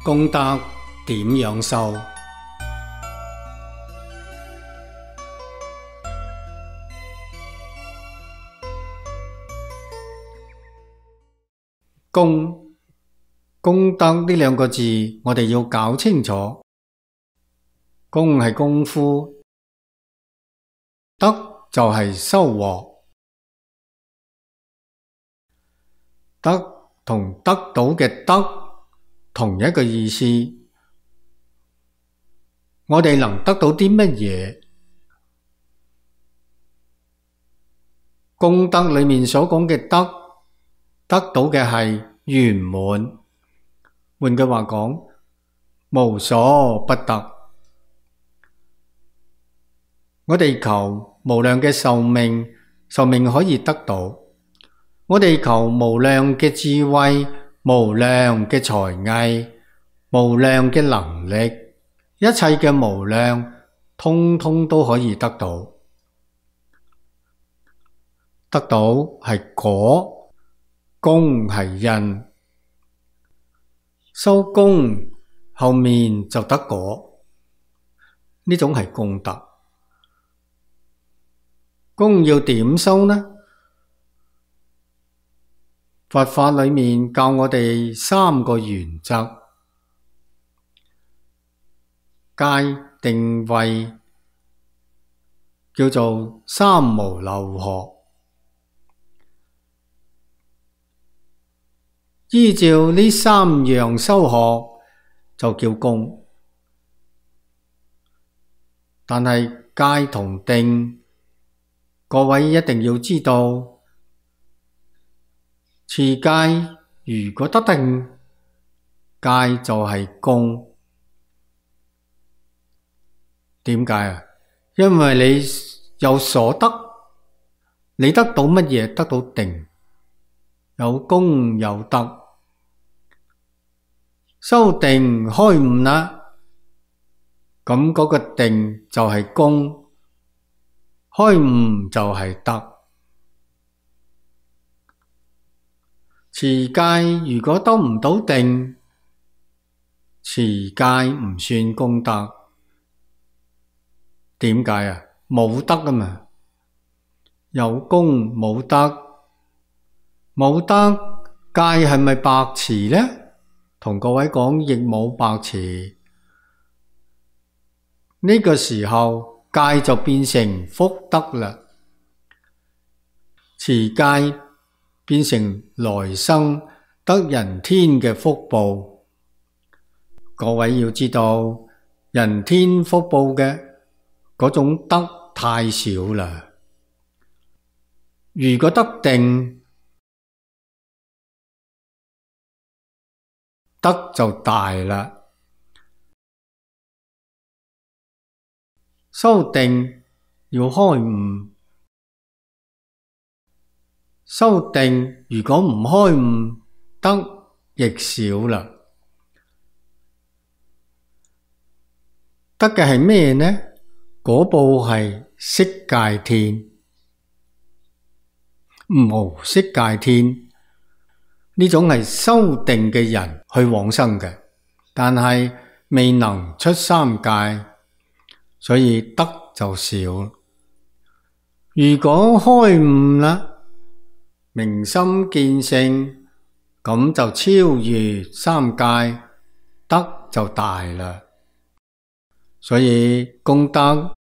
功德點樣修？功德呢兩個字，我哋要搞清楚。功係功夫，德就係收穫。德同得到嘅德同一個意思。我哋能得到啲乜嘢？功德裏面所講嘅德，得到嘅係圓滿。換句話講，無所不得。我哋求無量嘅壽命，壽命可以得到。我哋求無量嘅智慧，無量嘅才藝，無量嘅能力，一切嘅無量，通通都可以得到。得到係果，功係因。收功後面就得果，呢種係功德。功要點收呢？佛法裏面教我哋三個原則：戒、定、慧，叫做三無漏學。依照呢三樣修學就叫功。但係戒同定，各位一定要知道，持戒如果得定，戒就係功。點解啊？因為你有所得，你得到乜嘢？得到定。有功有德，修定開悟啦，咁嗰個定就係功，開悟就係德。持戒如果得唔到定，持戒唔算功德。點解啊？冇德啊嘛，有功冇德。冇得戒係咪白持呢？同各位講，亦冇白持。呢個時候戒就變成福德啦，持戒變成來生得人天嘅福報。各位要知道，人天福報嘅嗰種德太少啦。如果得定，德就大啦。修定要開悟，修定如果唔開悟，德亦少啦。得嘅係咩呢？果報係色界天，無色界天。呢種係修定嘅人去往生嘅，但係未能出三界，所以德就少。如果開悟啦，明心見性，咁就超越三界，德就大啦。所以功德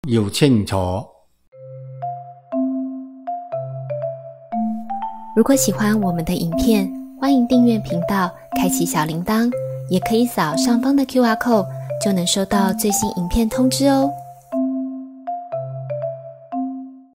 要清楚。如果喜歡我們的影片，歡迎訂閱頻道，開啟小鈴鐺，也可以掃上方的QR code，就能收到最新影片通知哦。